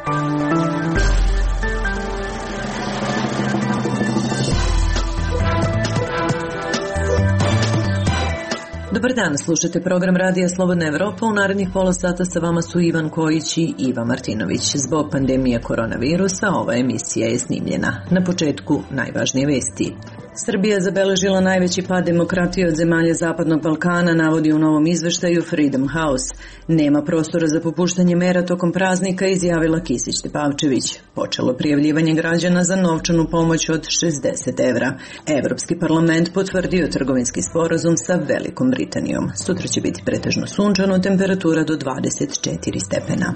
Dobar dan, slušate program Radija Slobodna Evropa. U narednih pola sata sa vama su Ivan Kojić i Iva Martinović. Zbog pandemije koronavirusa ova emisija je snimljena. Na početku najvažnije vesti. Srbija zabeležila najveći pad demokratije od zemalja Zapadnog Balkana, navodi u novom izveštaju Freedom House. Nema prostora za popuštanje mera tokom praznika, izjavila Kisić Tepavčević. Počelo prijavljivanje građana za novčanu pomoć od 60 evra. Evropski parlament potvrdio trgovinski sporazum sa Velikom Britanijom. Sutra će biti pretežno sunčano, temperatura do 24 stepena.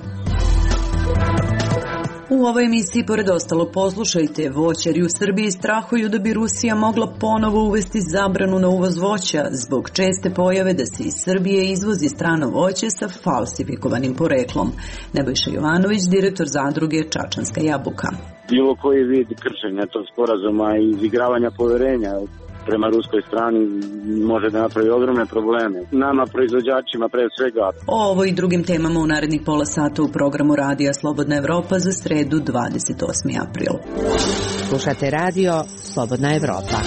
U ovoj emisiji, pored ostalo, poslušajte, voćari u Srbiji strahuju da bi Rusija mogla ponovo uvesti zabranu na uvoz voća zbog česte pojave da se iz Srbije izvozi strano voće sa falsifikovanim poreklom. Nebojša Jovanović, direktor zadruge Čačanska jabuka. Bilo koji vid kršenja tog sporazuma i izigravanja poverenja prema ruskoj strani može da napravi ogromne probleme. Nama, proizvođačima, pre svega. O ovo i drugim temama u narednih pola sata u programu Radija Slobodna Evropa za sredu 28. april. Slušate Radio Slobodna Evropa.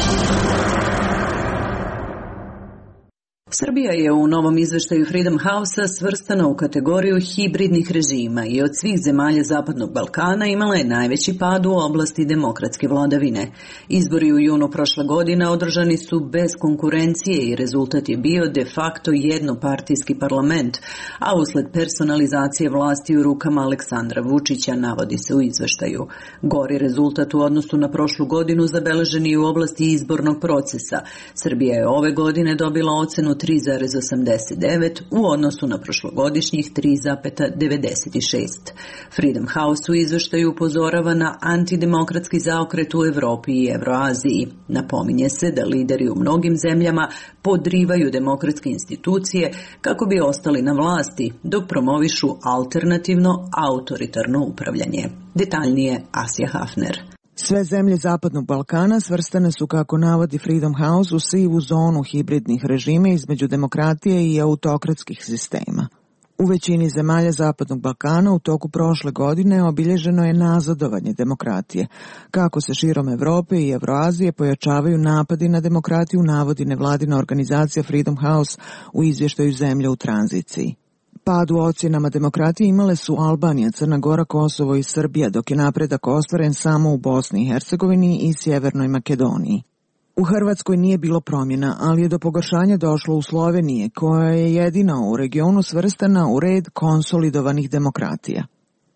Srbija je u novom izveštaju Freedom House-a svrstana u kategoriju hibridnih režima i od svih zemalja Zapadnog Balkana imala je najveći pad u oblasti demokratske vladavine. Izbori u junu prošle godine održani su bez konkurencije i rezultat je bio de facto jednopartijski parlament, a usled personalizacije vlasti u rukama Aleksandra Vučića, navodi se u izveštaju. Gori rezultat u odnosu na prošlu godinu zabeležen i u oblasti izbornog procesa. Srbija je ove godine dobila ocenu 3,89 u odnosu na prošlogodišnjih 3,96. Freedom House u izveštaju upozorava na antidemokratski zaokret u Evropi i Evroaziji. Napominje se da lideri u mnogim zemljama podrivaju demokratske institucije kako bi ostali na vlasti, dok promovišu alternativno autoritarno upravljanje. Detaljnije Asja Hafner. Sve zemlje Zapadnog Balkana svrstane su, kako navodi Freedom House, u sivu zonu hibridnih režima između demokratije i autokratskih sistema. U većini zemalja Zapadnog Balkana u toku prošle godine obilježeno je nazadovanje demokratije. Kako se širom Evrope i Evroazije pojačavaju napadi na demokratiju, navodi nevladina organizacija Freedom House u izvještaju zemlje u tranziciji. Pad u ocjenama demokratije imale su Albanija, Crna Gora, Kosovo i Srbija, dok je napredak ostvaren samo u Bosni i Hercegovini i Sjevernoj Makedoniji. U Hrvatskoj nije bilo promjena, ali je do pogoršanja došlo u Sloveniji, koja je jedina u regionu svrstana u red konsolidovanih demokratija.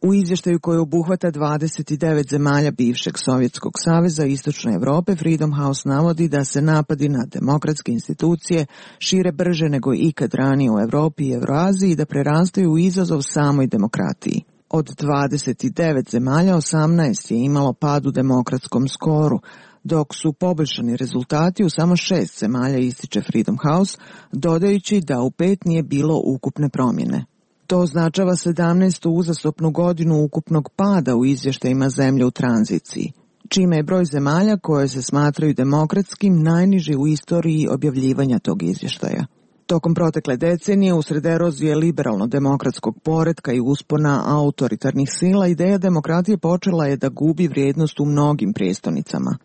U izvještaju koji obuhvata 29 zemalja bivšeg Sovjetskog saveza i Istočne Evrope, Freedom House navodi da se napadi na demokratske institucije šire brže nego ikad ranije u Evropi i Evroaziji i da prerastaju u izazov samoj demokratiji. Od 29 zemalja 18 je imalo pad u demokratskom skoru, dok su poboljšani rezultati u samo 6 zemalja, ističe Freedom House, dodajući da u 5 nije bilo ukupne promjene. To označava 17. uzastopnu godinu ukupnog pada u izvještajima zemlje u tranziciji, čime je broj zemalja koje se smatraju demokratskim najniži u istoriji objavljivanja tog izvještaja. Tokom protekle decenije, usred erozije liberalno-demokratskog poretka i uspona autoritarnih sila, ideja demokratije počela je da gubi vrijednost u mnogim prijestonicama.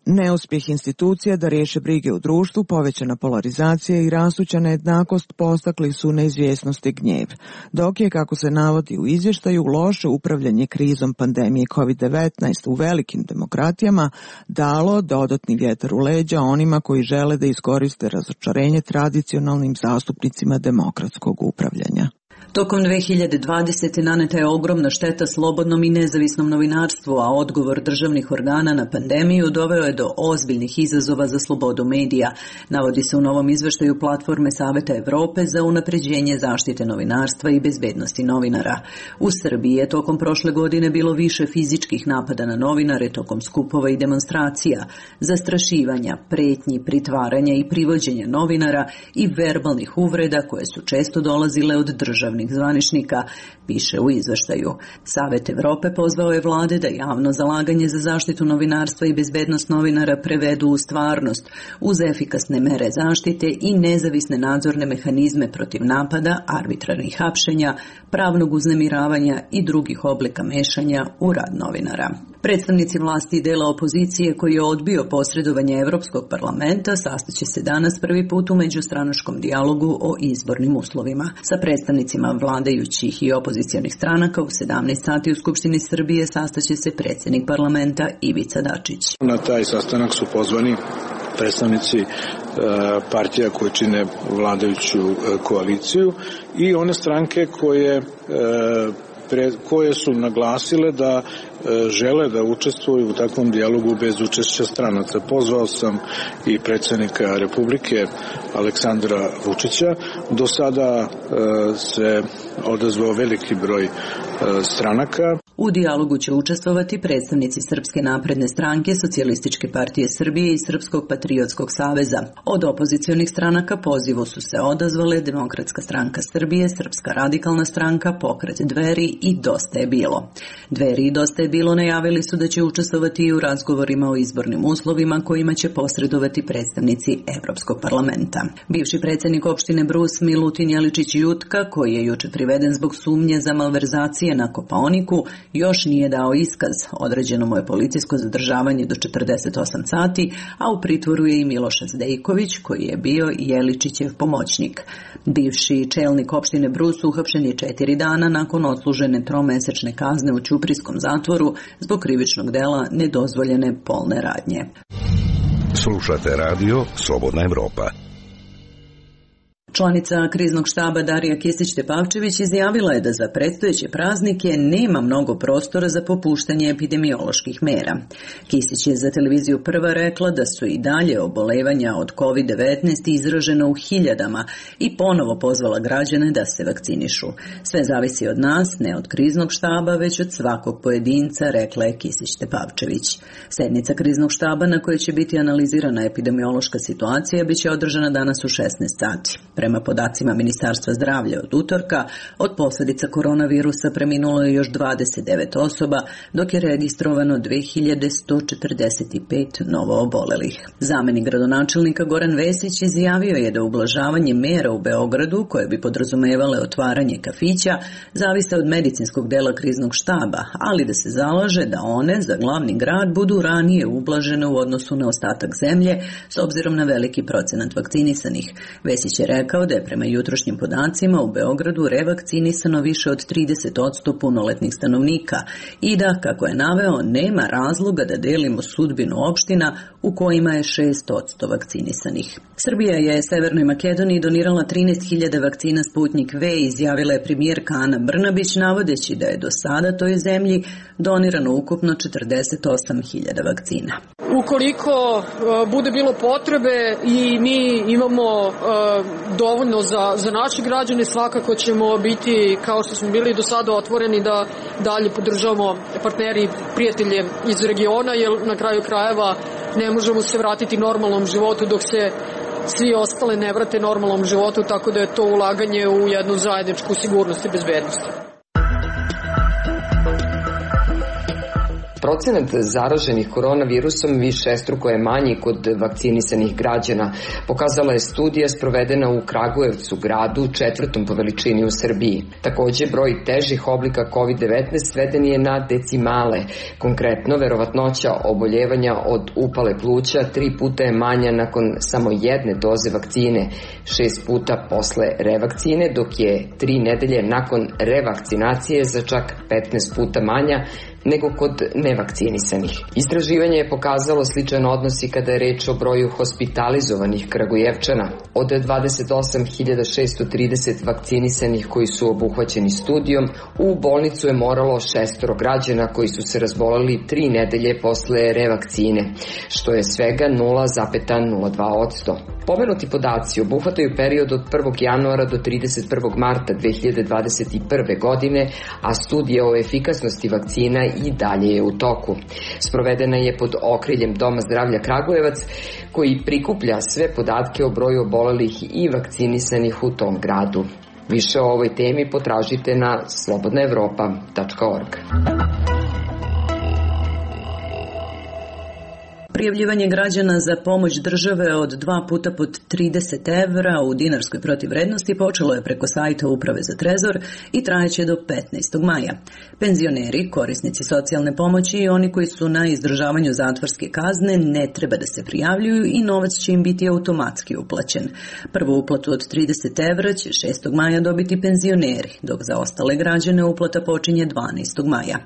Neuspjeh institucija da riješe brige u društvu, povećana polarizacija i rastuća nejednakost postakli su neizvjesnost i gnjev, dok je, kako se navodi u izvještaju, loše upravljanje krizom pandemije COVID-19 u velikim demokratijama dalo dodatni vjetar u leđa onima koji žele da iskoriste razočarenje tradicionalnim zastupnicima demokratskog upravljanja. Tokom 2020. naneta je ogromna šteta slobodnom i nezavisnom novinarstvu, a odgovor državnih organa na pandemiju doveo je do ozbiljnih izazova za slobodu medija, navodi se u novom izveštaju Platforme Saveta Evrope za unapređenje zaštite novinarstva i bezbednosti novinara. U Srbiji je tokom prošle godine bilo više fizičkih napada na novinare tokom skupova i demonstracija, zastrašivanja, pretnji, pritvaranja i privođenja novinara i verbalnih uvreda koje su često dolazile od državnih državnih zvaničnika, piše u izveštaju. Savet Evrope pozvao je vlade da javno zalaganje za zaštitu novinarstva i bezbednost novinara prevedu u stvarnost, uz efikasne mere zaštite i nezavisne nadzorne mehanizme protiv napada, arbitrarnih hapšenja, pravnog uznemiravanja i drugih oblika mešanja u rad novinara. Predstavnici vlasti i dela opozicije koji je odbio posredovanje Evropskog parlamenta sastaće se danas prvi put u međustranačkom dijalogu o izbornim uslovima. Sa predstavnicima vladajućih i opozicionih stranaka u 17 sati u Skupštini Srbije sastaće se predsjednik parlamenta Ivica Dačić. Na taj sastanak su pozvani predstavnici partija koje čine vladajuću koaliciju i one stranke koje su naglasile da žele da učestvuju u takvom dijalogu bez učešća stranaca. Pozvao sam i predsjednika Republike Aleksandra Vučića. Do sada se odazvao veliki broj stranaka. U dijalogu će učestvovati predstavnici Srpske napredne stranke, Socijalističke partije Srbije i Srpskog patriotskog saveza. Od opozicionih stranaka pozivu su se odazvale Demokratska stranka Srbije, Srpska radikalna stranka, Pokret Dveri i Dosta je bilo. Dveri i Dosta je bilo najavili su da će učestvovati i u razgovorima o izbornim uslovima kojima će posredovati predstavnici Evropskog parlamenta. Bivši predsjednik opštine Brus Milutin Jeličić Jutka, koji je juče priveden zbog sumnje za malverzacije na Kopaoniku, još nije dao iskaz. Određeno mu je policijsko zadržavanje do 48 sati, a u pritvoru je i Miloš Zdejković, koji je bio Jeličićev pomoćnik. Bivši čelnik opštine Brus uhapšen je 4 dana nakon odslužene 3-mesečne kazne u ćuprijskom zatvoru zbog krivičnog dela nedozvoljene polne radnje. Slušate radio Slobodna Evropa. Članica kriznog štaba Darija Kisić-Tepavčević izjavila je da za predstojeće praznike nema mnogo prostora za popuštanje epidemioloških mera. Kisić je za televiziju Prva rekla da su i dalje obolevanja od COVID-19 izražena u hiljadama i ponovo pozvala građane da se vakcinišu. Sve zavisi od nas, ne od kriznog štaba, već od svakog pojedinca, rekla je Kisić-Tepavčević. Sednica kriznog štaba na kojoj će biti analizirana epidemiološka situacija biće održana danas u 16 sati. Prema podacima Ministarstva zdravlja od utorka, od posljedica koronavirusa preminulo je još 29 osoba, dok je registrovano 2145 novo obolelih. Zamenik gradonačelnika Goran Vesić izjavio je da ublažavanje mera u Beogradu, koje bi podrazumevale otvaranje kafića, zavise od medicinskog dela kriznog štaba, ali da se zalaže da one za glavni grad budu ranije ublažene u odnosu na ostatak zemlje, s obzirom na veliki procenat vakcinisanih. Vesić je rekao da je prema jutrošnjim podacima u Beogradu revakcinisano više od 30% punoletnih stanovnika i da, kako je naveo, nema razloga da delimo sudbinu opština u kojima je 6% vakcinisanih. Srbija je Severnoj Makedoniji donirala 13.000 vakcina Sputnik V, izjavila je premijerka Ana Brnabić, navodeći da je do sada toj zemlji donirano ukupno 48.000 vakcina. Ukoliko bude bilo potrebe i mi imamo dovoljno za naše građane, svakako ćemo biti, kao što smo bili do sada, otvoreni da dalje podržavamo partneri i prijatelje iz regiona, jer na kraju krajeva ne možemo se vratiti normalnom životu dok se svi ostale ne vrate normalnom životu, tako da je to ulaganje u jednu zajedničku sigurnost i bezbednost. Procenat zaraženih koronavirusom višestruko je manji kod vakcinisanih građana, pokazala je studija sprovedena u Kragujevcu, gradu 4. po veličini u Srbiji. Takođe, broj težih oblika COVID-19 sveden je na decimale. Konkretno, verovatnoća oboljevanja od upale pluća 3 puta je manja nakon samo jedne doze vakcine, 6 puta posle revakcine, dok je 3 nedelje nakon revakcinacije za čak 15 puta manja nego kod nevakcinisanih. Istraživanje je pokazalo sličan odnos i kada je reč o broju hospitalizovanih Kragujevčana. Od 28.630 vakcinisanih koji su obuhvaćeni studijom, u bolnicu je moralo 6 građana koji su se razboleli 3 nedelje posle revakcine, što je svega 0,02%. Pomenuti podaci obuhvataju period od 1. januara do 31. marta 2021. godine, a studija o efikasnosti vakcina i dalje je u toku. Sprovedena je pod okriljem Doma zdravlja Kragujevac, koji prikuplja sve podatke o broju obolelih i vakcinisanih u tom gradu. Više o ovoj temi potražite na slobodnaevropa.org. Prijavljivanje građana za pomoć države od 2 puta po 30 evra u dinarskoj protivvrednosti počelo je preko sajta Uprave za trezor i trajeće do 15. maja. Penzioneri, korisnici socijalne pomoći i oni koji su na izdržavanju zatvorske kazne ne treba da se prijavljuju i novac će im biti automatski uplaćen. Prvu uplatu od 30 evra će 6. maja dobiti penzioneri, dok za ostale građane uplata počinje 12. maja.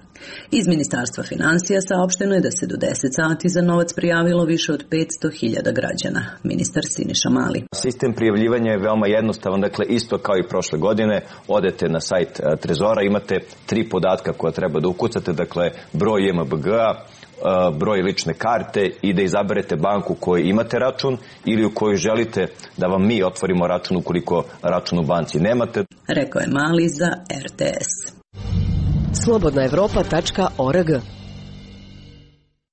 Iz Ministarstva finansija saopšteno je da se do 10 sati za novac prijavilo više od 500.000 građana. Ministar Siniša Mali. Sistem prijavljivanja je veoma jednostavan, dakle isto kao i prošle godine, odete na sajt Trezora, imate 3 podatka koja treba da ukucate, dakle broj JMBG-a, broj lične karte i da izaberete banku u kojoj imate račun ili u kojoj želite da vam mi otvorimo račun ukoliko račun u banci nemate. Rekao je Mali za RTS. slobodnaevropa.org.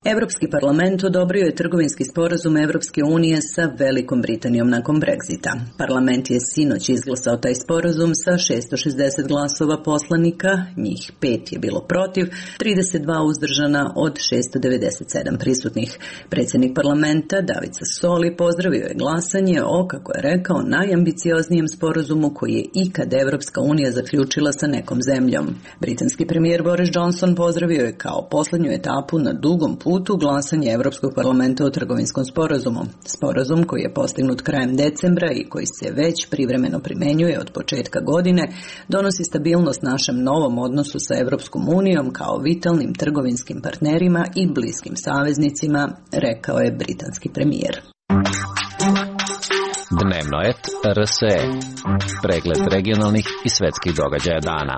Evropski parlament odobrio je trgovinski sporazum Evropske unije sa Velikom Britanijom nakon Brexita. Parlament je sinoć izglasao taj sporazum sa 660 glasova poslanika, njih 5 je bilo protiv, 32 uzdržana od 697 prisutnih. Predsjednik parlamenta David Sassoli pozdravio je glasanje o, kako je rekao, najambicioznijem sporazumu koji je ikad Evropska unija zaključila sa nekom zemljom. Britanski premijer Boris Johnson pozdravio je kao poslednju etapu na dugom putu glasanje Evropskog parlamenta o trgovinskom sporazumu. Sporazum koji je postignut krajem decembra i koji se već privremeno primenjuje od početka godine, donosi stabilnost našem novom odnosu sa Evropskom unijom kao vitalnim trgovinskim partnerima i bliskim saveznicima, rekao je britanski premijer. Dnevno et RSE. Pregled regionalnih i svetskih događaja dana.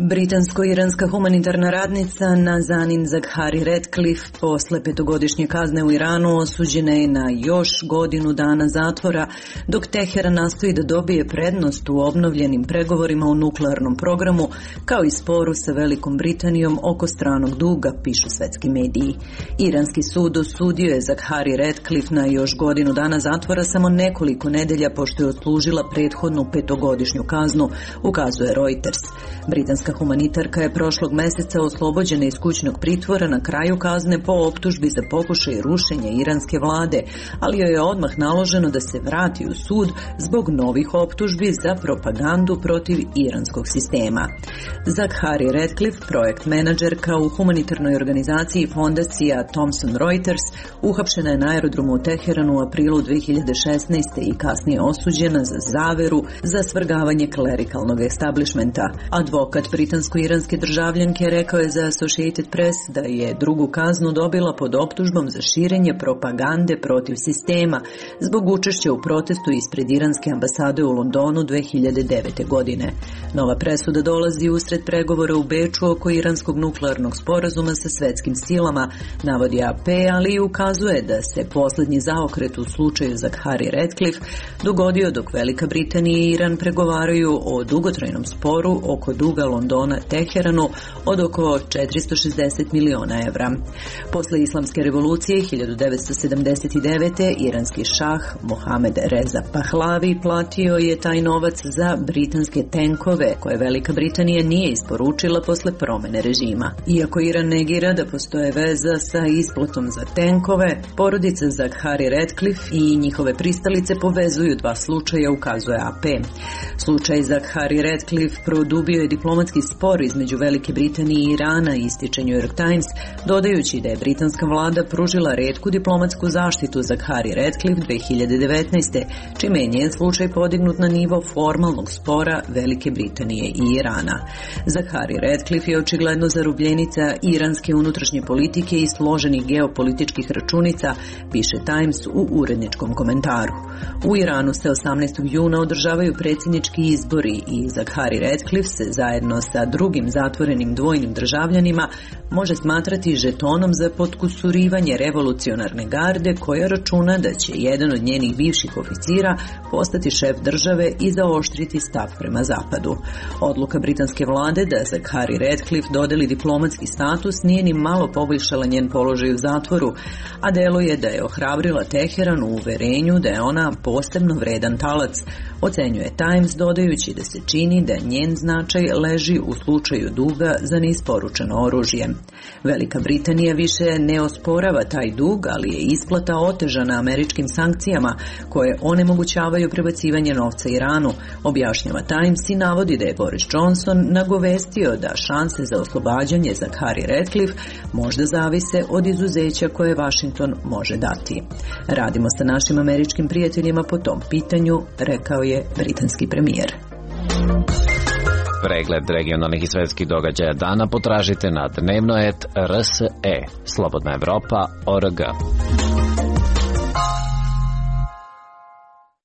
Britansko-iranska humanitarna radnica Nazanin Zaghari Ratcliffe posle 5-godišnje kazne u Iranu osuđena je na još godinu dana zatvora, dok Teheran nastoji da dobije prednost u obnovljenim pregovorima o nuklearnom programu, kao i sporu sa Velikom Britanijom oko stranog duga, pišu svetski mediji. Iranski sud osudio je Zaghari Ratcliffe na još godinu dana zatvora samo nekoliko nedelja pošto je odslužila prethodnu 5-godišnju kaznu, ukazuje Reuters. Britanska humanitarka je prošlog meseca oslobođena iz kućnog pritvora na kraju kazne po optužbi za pokušaj rušenja iranske vlade, ali joj je odmah naloženo da se vrati u sud zbog novih optužbi za propagandu protiv iranskog sistema. Zaghari Ratcliffe, projekt menadžerka u humanitarnoj organizaciji fondacija Thomson Reuters, uhapšena je na aerodromu u Teheranu u aprilu 2016. i kasnije osuđena za zaveru za svrgavanje klerikalnog establishmenta. Advokat britansko-iranske državljanke rekao je za Associated Press da je drugu kaznu dobila pod optužbom za širenje propagande protiv sistema zbog učešća u protestu ispred iranske ambasade u Londonu 2009. godine. Nova presuda dolazi usred pregovora u Beču oko iranskog nuklearnog sporazuma sa svetskim silama, navodi AP, ali i ukazuje da se poslednji zaokret u slučaju Zaghari Ratcliffe dogodio dok Velika Britanija i Iran pregovaraju o dugotrajnom sporu oko duga Londona Teheranu od oko 460 miliona evra. Posle islamske revolucije 1979. iranski šah Mohamed Reza Pahlavi platio je taj novac za britanske tenkove koje Velika Britanija nije isporučila posle promene režima. Iako Iran negira da postoje veza sa isplatom za tenkove, porodica Zaghari Ratcliffe i njihove pristalice povezuju dva slučaja, ukazuje AP. Slučaj Zaghari Ratcliffe produbio je diplomatski spor između Velike Britanije i Irana, ističe New York Times, dodajući da je britanska vlada pružila retku diplomatsku zaštitu Zaghari Ratcliffe 2019. čime je njen slučaj podignut na nivo formalnog spora Velike Britanije i Irana. Zaghari Ratcliffe je očigledno zarubljenica iranske unutrašnje politike i složenih geopolitičkih računica, piše Times u uredničkom komentaru. U Iranu se 18. juna održavaju predsjednički izbori i Zaghari Ratcliffe se zajedno sa drugim zatvorenim dvojnim državljanima može smatrati žetonom za potkusurivanje revolucionarne garde koja računa da će jedan od njenih bivših oficira postati šef države i zaoštriti stav prema zapadu. Odluka britanske vlade da Zaghari Ratcliffe dodeli diplomatski status nije ni malo poboljšala njen položaj u zatvoru, a deluje da je ohrabrila Teheran u uverenju da je ona posebno vredan talac, ocenjuje Times dodajući da se čini da njen značaj leži u slučaju duga za neisporučeno oružje. Velika Britanija više ne osporava taj dug, ali je isplata otežana američkim sankcijama koje onemogućavaju prebacivanje novca Iranu, objašnjava Times i navodi da je Boris Johnson nagovestio da šanse za oslobađanje Zaghari Ratcliffe možda zavise od izuzeća koje Washington može dati. Radimo sa našim američkim prijateljima po tom pitanju, rekao je britanski premijer. Pregled regionalnih i svetskih događaja dana potražite na dnevno.rse, Slobodna Evropa.org.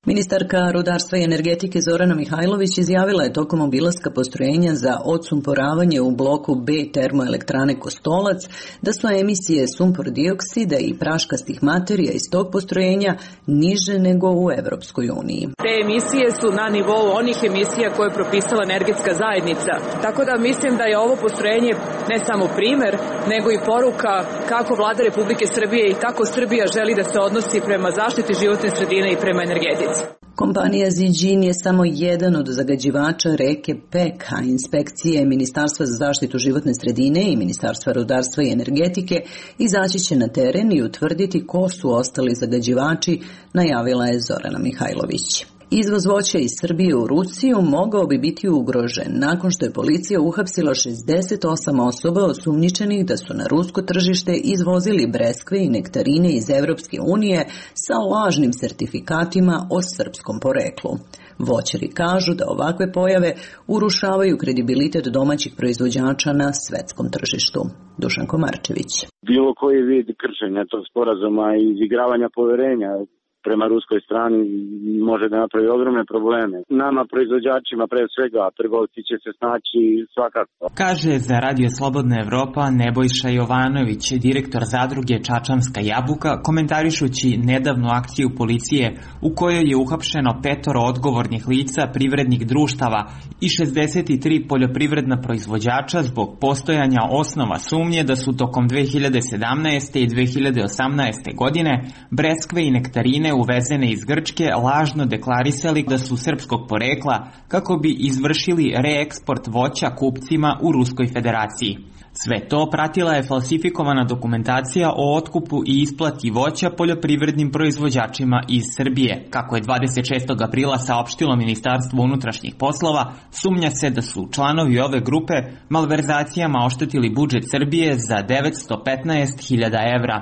Ministarka rudarstva i energetike Zorana Mihajlović izjavila je tokom obilaska postrojenja za odsumporavanje u bloku B termoelektrane Kostolac da su emisije sumpor dioksida i praškastih materija iz tog postrojenja niže nego u Evropskoj uniji. Te emisije su na nivou onih emisija koje je propisala energetska zajednica. Tako da mislim da je ovo postrojenje ne samo primer, nego i poruka kako Vlada Republike Srbije i kako Srbija želi da se odnosi prema zaštiti životne sredine i prema energetici. Kompanija Ziđin je samo jedan od zagađivača reke Pek, a inspekcije Ministarstva za zaštitu životne sredine i Ministarstva rudarstva i energetike izaći će na teren i utvrditi ko su ostali zagađivači, najavila je Zorana Mihajlović. Izvoz voća iz Srbije u Rusiju mogao bi biti ugrožen nakon što je policija uhapsila 68 osoba osumnjičenih da su na rusko tržište izvozili breskve i nektarine iz Evropske unije sa lažnim sertifikatima o srpskom poreklu. Voćari kažu da ovakve pojave urušavaju kredibilitet domaćih proizvođača na svetskom tržištu. Dušan Komarčević. Bilo koji vid kršenja tog sporazuma i izigravanja poverenja prema ruskoj strani može da napravi ogromne probleme. Nama, proizvođačima, pre svega, trgovci će se snaći svakako. Kaže za Radio Slobodna Evropa Nebojša Jovanović, direktor zadruge Čačanska jabuka, komentarišući nedavnu akciju policije u kojoj je uhapšeno 5 odgovornih lica privrednih društava i 63 poljoprivredna proizvođača zbog postojanja osnova sumnje da su tokom 2017. i 2018. godine breskve i nektarine uvezene iz Grčke lažno deklarisali da su srpskog porekla kako bi izvršili reeksport voća kupcima u Ruskoj federaciji. Sve to pratila je falsifikovana dokumentacija o otkupu i isplati voća poljoprivrednim proizvođačima iz Srbije. Kako je 26. aprila saopštilo Ministarstvo unutrašnjih poslova, sumnja se da su članovi ove grupe malverzacijama oštetili budžet Srbije za 915.000 evra.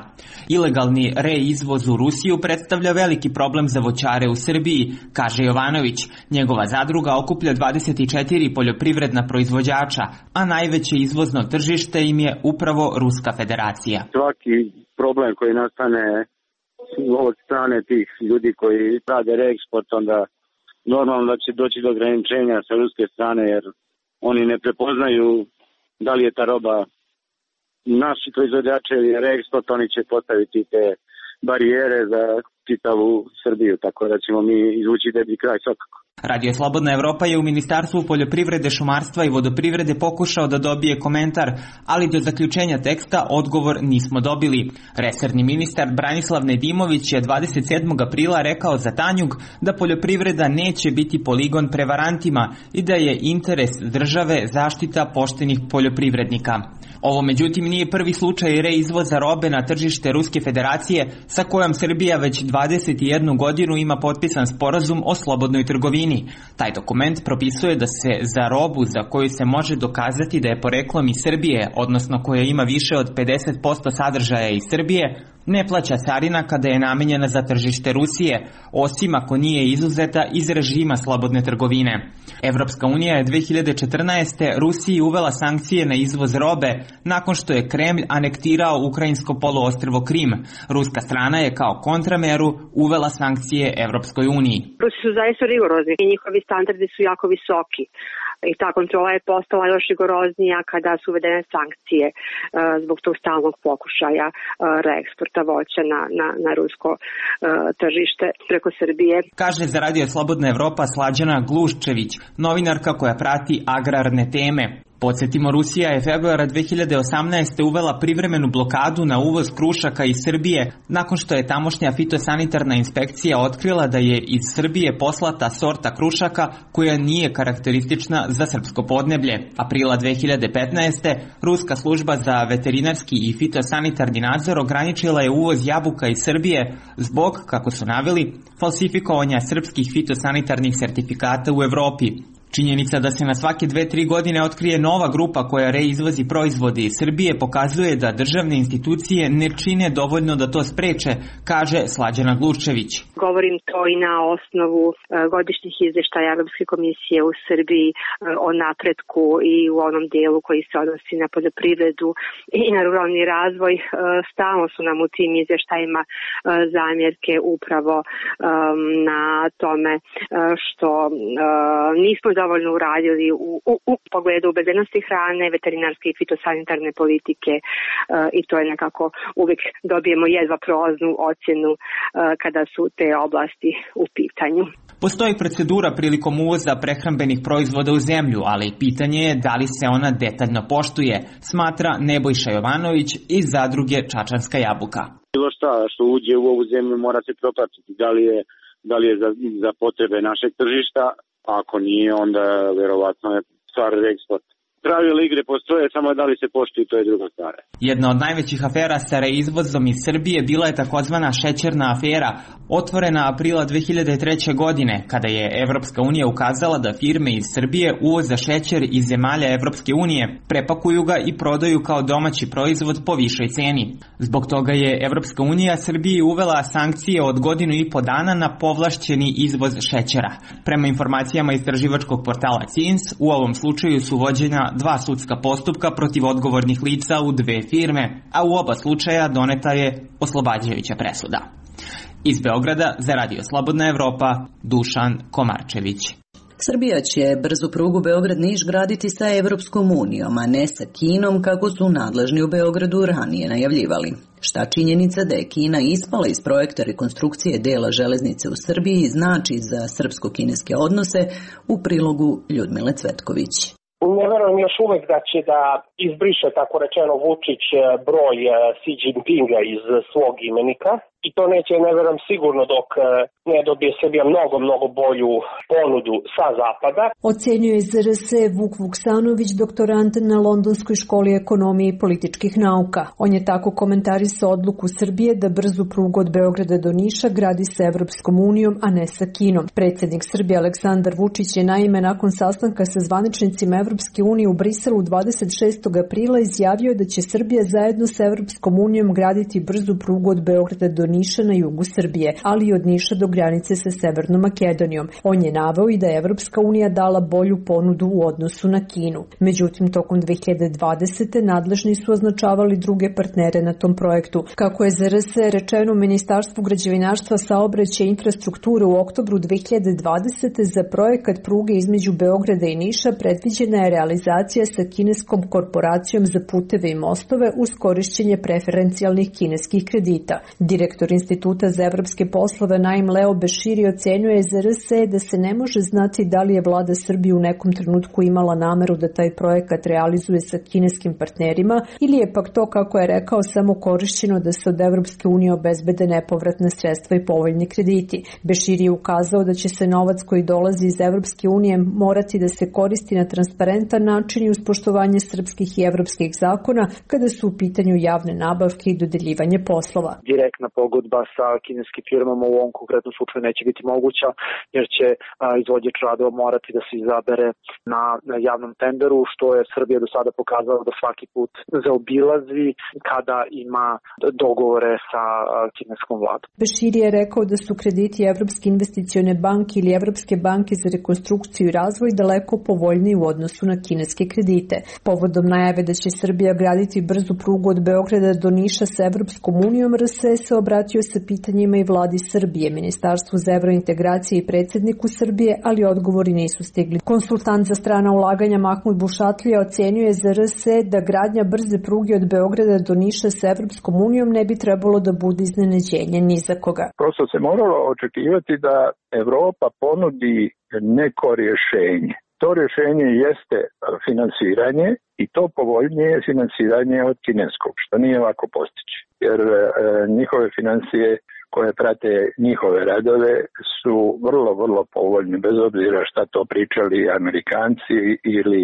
Ilegalni reizvoz u Rusiju predstavlja veliki problem za voćare u Srbiji, kaže Jovanović. Njegova zadruga okuplja 24 poljoprivredna proizvođača, a najveće izvozno tržište im je upravo Ruska federacija. Svaki problem koji nastane od strane tih ljudi koji rade reeksport, onda normalno da će doći do ograničenja sa ruske strane, jer oni ne prepoznaju da li je ta roba naši proizvođači ili reeksport, oni će postaviti te barijere za čitavu Srbiju, tako da ćemo mi izvući deblji kraj svakako. Radio Slobodna Evropa je u Ministarstvu poljoprivrede, šumarstva i vodoprivrede pokušao da dobije komentar, ali do zaključenja teksta odgovor nismo dobili. Resorni ministar Branislav Nedimović je 27. aprila rekao za Tanjug da poljoprivreda neće biti poligon prevarantima i da je interes države zaštita poštenih poljoprivrednika. Ovo međutim nije prvi slučaj reizvoza robe na tržište Ruske federacije sa kojom Srbija već 21 godinu ima potpisan sporazum o slobodnoj trgovini. Taj dokument propisuje da se za robu za koju se može dokazati da je poreklom iz Srbije, odnosno koja ima više od 50% sadržaja iz Srbije, ne plaća carina kada je namenjena za tržište Rusije, osim ako nije izuzeta iz režima slobodne trgovine. Evropska unija je 2014. Rusiji uvela sankcije na izvoz robe nakon što je Kremlj anektirao ukrajinsko poluostrvo Krim. Ruska strana je kao kontrameru uvela sankcije Evropskoj uniji. Rusi su zaista rigorozni i njihovi standardi su jako visoki. I ta kontrola je postala još rigoroznija kada su uvedene sankcije zbog tog stalnog pokušaja reeksporta voća na rusko tržište preko Srbije. Kaže za Radio Slobodna Evropa Slađana Gluščević, novinarka koja prati agrarne teme. Podsjetimo, Rusija je februara 2018. uvela privremenu blokadu na uvoz krušaka iz Srbije nakon što je tamošnja fitosanitarna inspekcija otkrila da je iz Srbije poslata sorta krušaka koja nije karakteristična za srpsko podneblje. Aprila 2015. Ruska služba za veterinarski i fitosanitarni nadzor ograničila je uvoz jabuka iz Srbije zbog, kako su naveli, falsifikovanja srpskih fitosanitarnih sertifikata u Evropi. Činjenica da se na svake 2-3 godine otkrije nova grupa koja reizvozi proizvode iz Srbije pokazuje da državne institucije ne čine dovoljno da to spreče, kaže Slađana Gluščević. Govorim to i na osnovu godišnjih izveštaja Evropske komisije u Srbiji o napretku i u onom dijelu koji se odnosi na poljoprivredu i na ruralni razvoj. Stalno su nam u tim izveštajima zamjerke upravo na tome što nismo dovoljno uradili u pogledu bezbednosti hrane, veterinarske i fitosanitarne politike i to je nekako uvijek dobijemo jedva prolaznu ocjenu kada su te oblasti u pitanju. Postoji procedura prilikom uvoza prehrambenih proizvoda u zemlju, ali pitanje je da li se ona detaljno poštuje, smatra Nebojša Jovanović iz zadruge Čačanska jabuka. Bilo šta što uđe u ovu zemlju mora se propratiti, da li je za potrebe našeg tržišta. Ako nije, onda verovatno je stvar reeksport. Pravila igre postoje, samo da li se poštuju, to je druga stvar. Jedna od najvećih afera sa reizvozom iz Srbije bila je takozvana šećerna afera, otvorena aprila 2003. godine, kada je Evropska unija ukazala da firme iz Srbije uvoza šećer iz zemalja Evropske unije, prepakuju ga i prodaju kao domaći proizvod po višoj ceni. Zbog toga je Evropska unija Srbiji uvela sankcije od 1.5 godina na povlašćeni izvoz šećera. Prema informacijama istraživačkog portala CINS, u ovom slučaju su vođena 2 sudska postupka protiv odgovornih lica u 2 firme, a u oba slučaja doneta je oslobađajuća presuda. Iz Beograda za Radio Slobodna Evropa, Dušan Komarčević. Srbija će brzu prugu Beograd-Niš graditi sa Evropskom unijom, a ne sa Kinom, kako su nadležni u Beogradu ranije najavljivali. Šta činjenica da je Kina ispala iz projekta rekonstrukcije dela železnice u Srbiji znači za srpsko-kineske odnose, u prilogu Ljudmile Cvetković. Ne verujem još uvek da će da izbriše, tako rečeno, Vučić broj Xi Jinpinga iz svog imenika. I to neće, ne verujem, sigurno dok ne dobije Srbija mnogo bolju ponudu sa zapada. Ocenjuje ZRS Vuk Vuksanović, doktorant na Londonskoj školi ekonomije i političkih nauka. On je tako komentarisao odluku Srbije da brzu prugu od Beograda do Niša gradi sa Evropskom unijom, a ne sa Kinom. Predsjednik Srbije Aleksandar Vučić je naime nakon sastanka sa zvaničnicima Evropske unije u Briselu 26. aprila izjavio da će Srbija zajedno sa Evropskom unijom graditi brzu prugu od Beograda do Niša na jugu Srbije, ali i od Niša do granice sa Severnom Makedonijom. On je naveo i da je Evropska unija dala bolju ponudu u odnosu na Kinu. Međutim, tokom 2020. nadležni su označavali druge partnere na tom projektu. Kako je ZRS rečeno u Ministarstvu građevinarstva, saobraćaja i infrastrukture u oktobru 2020. za projekat pruge između Beograda i Niša predviđena je realizacija sa kineskom korporacijom za puteve i mostove uz korišćenje preferencijalnih kineskih kredita. Direktor Instituta za evropske poslove Naim Leo Beširi ocenjuje ZRS da se ne može znati da li je vlada Srbije u nekom trenutku imala nameru da taj projekat realizuje sa kineskim partnerima ili je pak to, kako je rekao, samo korišćeno da se od Evropske unije obezbede nepovratna sredstva i povoljni krediti. Beširi je ukazao da će se novac koji dolazi iz Evropske unije morati da se koristi na transparentan način i uz poštovanje srpskih i evropskih zakona kada su u pitanju javne nabavke i dodeljivanje poslova. Direktna pogodba nagodba sa kineskim firmama u ovom konkretnom slučaju neće biti moguća, jer će izvođač radova morati da se izabere na javnom tenderu, što je Srbija do sada pokazala da svaki put zaobilazi kada ima dogovore sa kineskom vladom. Beširi je rekao da su krediti Evropske investicione banke ili Evropske banke za rekonstrukciju i razvoj daleko povoljniji u odnosu na kineske kredite. Povodom najave da će Srbija graditi brzu prugu od Beograda do Niša sa Evropskom unijom, RS se obratio sa pitanjima i vladi Srbije, Ministarstvu za evrointegracije i predsjedniku Srbije, ali odgovori nisu stigli. Konsultant za strana ulaganja Mahmud Bušatlija ocenjuje za RS da gradnja brze pruge od Beograda do Niša sa Evropskom unijom ne bi trebalo da bude iznenađenje ni za koga. Prosto se moralo očekivati da Evropa ponudi neko rješenje. To rješenje jeste finansiranje i to povoljnije finansiranje od kineskog, što nije lako postići. Jer njihove financije koje prate njihove radove su vrlo, vrlo povoljne, bez obzira šta to pričali Amerikanci ili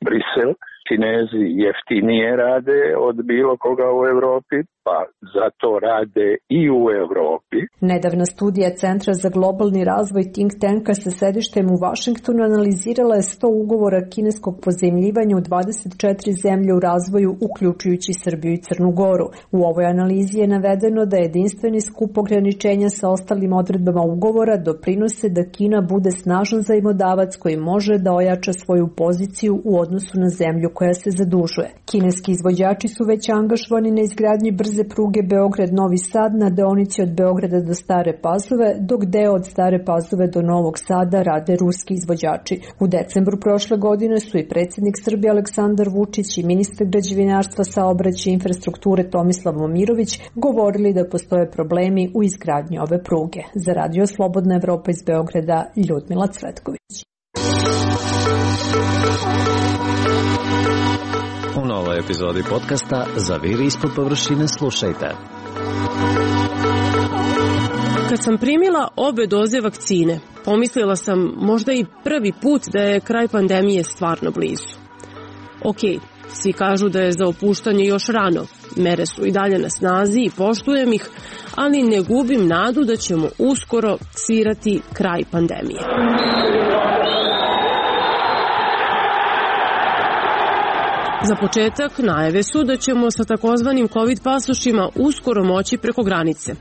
Brisel. Kinezi jeftinije rade od bilo koga u Evropi, pa zato rade i u Evropi. Nedavna studija Centra za globalni razvoj Think Tanka sa sedištem u Vašingtonu analizirala je 100 ugovora kineskog pozajmljivanja u 24 zemlje u razvoju, uključujući Srbiju i Crnu Goru. U ovoj analizi je navedeno da jedinstveni skup ograničenja sa ostalim odredbama ugovora doprinose da Kina bude snažan zajmodavac koji može da ojača svoju poziciju u odnosu na zemlju koja se zadužuje. Kineski izvođači su već angažovani na izgradnji brze pruge Beograd-Novi Sad na deonici od Beograda do Stare Pazove, dok deo od Stare Pazove do Novog Sada rade ruski izvođači. U decembru prošle godine su i predsjednik Srbije Aleksandar Vučić i ministar građevinarstva, saobraćaja i infrastrukture Tomislav Momirović govorili da postoje problemi u izgradnji ove pruge. Za Radio Slobodna Evropa iz Beograda, Ljudmila Cvetković. U novoj epizodi podcasta Zaviri ispod površine slušajte. Kad sam primila obe doze vakcine, pomislila sam možda i prvi put da je kraj pandemije stvarno blizu. Okej, svi kažu da je za opuštanje još rano, mere su i dalje na snazi i poštujem ih, ali ne gubim nadu da ćemo uskoro svirati kraj pandemije. Za početak, najave su da ćemo sa takozvanim COVID pasošima uskoro moći preko granice,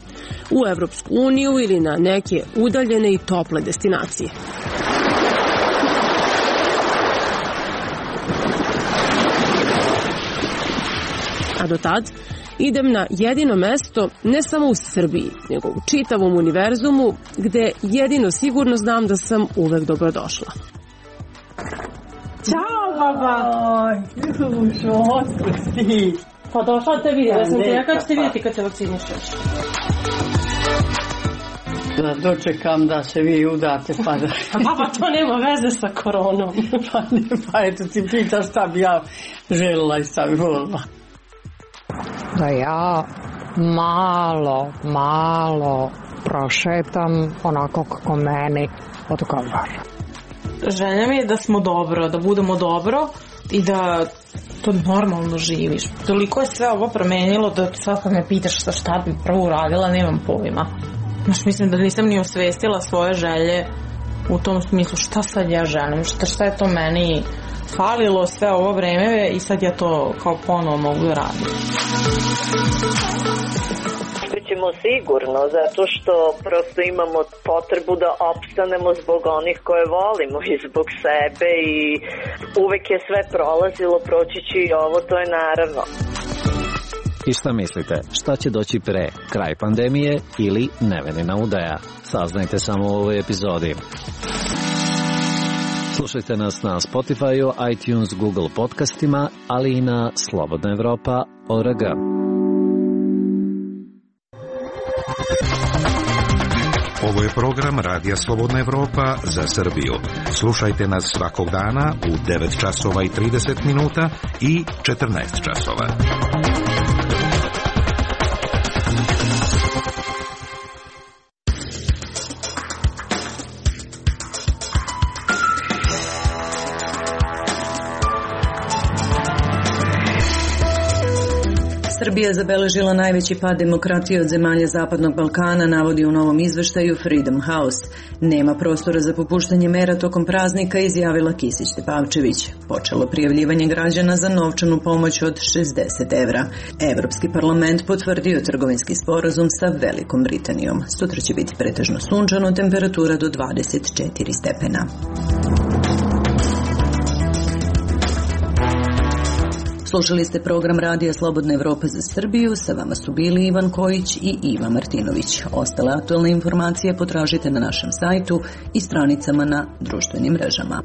u Evropsku uniju ili na neke udaljene i tople destinacije. A do tad idem na jedino mesto ne samo u Srbiji, nego u čitavom univerzumu, gde jedino sigurno znam da sam uvek dobrodošla. Ćao, baba! Ljušo, otkud si? Pa došla te vidim, ja sam te, ja kako ćete vidjeti kad se vakcinišeš? Da dočekam da se vi udate, pa da... Baba, to nema veze sa koronom. Pa eto ti pitaš šta bi ja željela i šta bi volila. Da ja malo prošetam onako kako meni odgovara. Želja mi je da smo dobro, da budemo dobro i da to normalno živiš. Toliko je sve ovo promenilo da sad kad me pitaš šta bi prvo uradila, nemam pojma. Mislim da nisam ni osvestila svoje želje u tom smislu šta sad ja želim, šta je to meni falilo sve ovo vreme i sad ja to kao ponovo mogu da radim. Ćemo sigurno, zato što prosto imamo potrebu da opstanemo zbog onih koje volimo i zbog sebe i uvek je sve prolazilo, proći će i ovo, to je naravno. I šta mislite, šta će doći pre, kraj pandemije ili nevenina udaja? Saznajte samo u ovoj epizodi. Slušajte nas na Spotify, iTunes, Google podcastima, ali i na slobodnaevropa.org. Ovo je program Radija Slobodna Evropa za Srbiju. Slušajte nas svakog dana u 9 časova i 30 minuta i 14 časova. Srbija zabeležila najveći pad demokratije od zemalja Zapadnog Balkana, navodi u novom izveštaju Freedom House. Nema prostora za popuštanje mera tokom praznika, izjavila Kisić Tepavčević. Počelo prijavljivanje građana za novčanu pomoć od 60 evra. Evropski parlament potvrdio trgovinski sporazum sa Velikom Britanijom. Sutra će biti pretežno sunčano, temperatura do 24 stepena. Slušali ste program Radija Slobodna Evropa za Srbiju, sa vama su bili Ivan Kojić i Iva Martinović. Ostale aktualne informacije potražite na našem sajtu i stranicama na društvenim mrežama.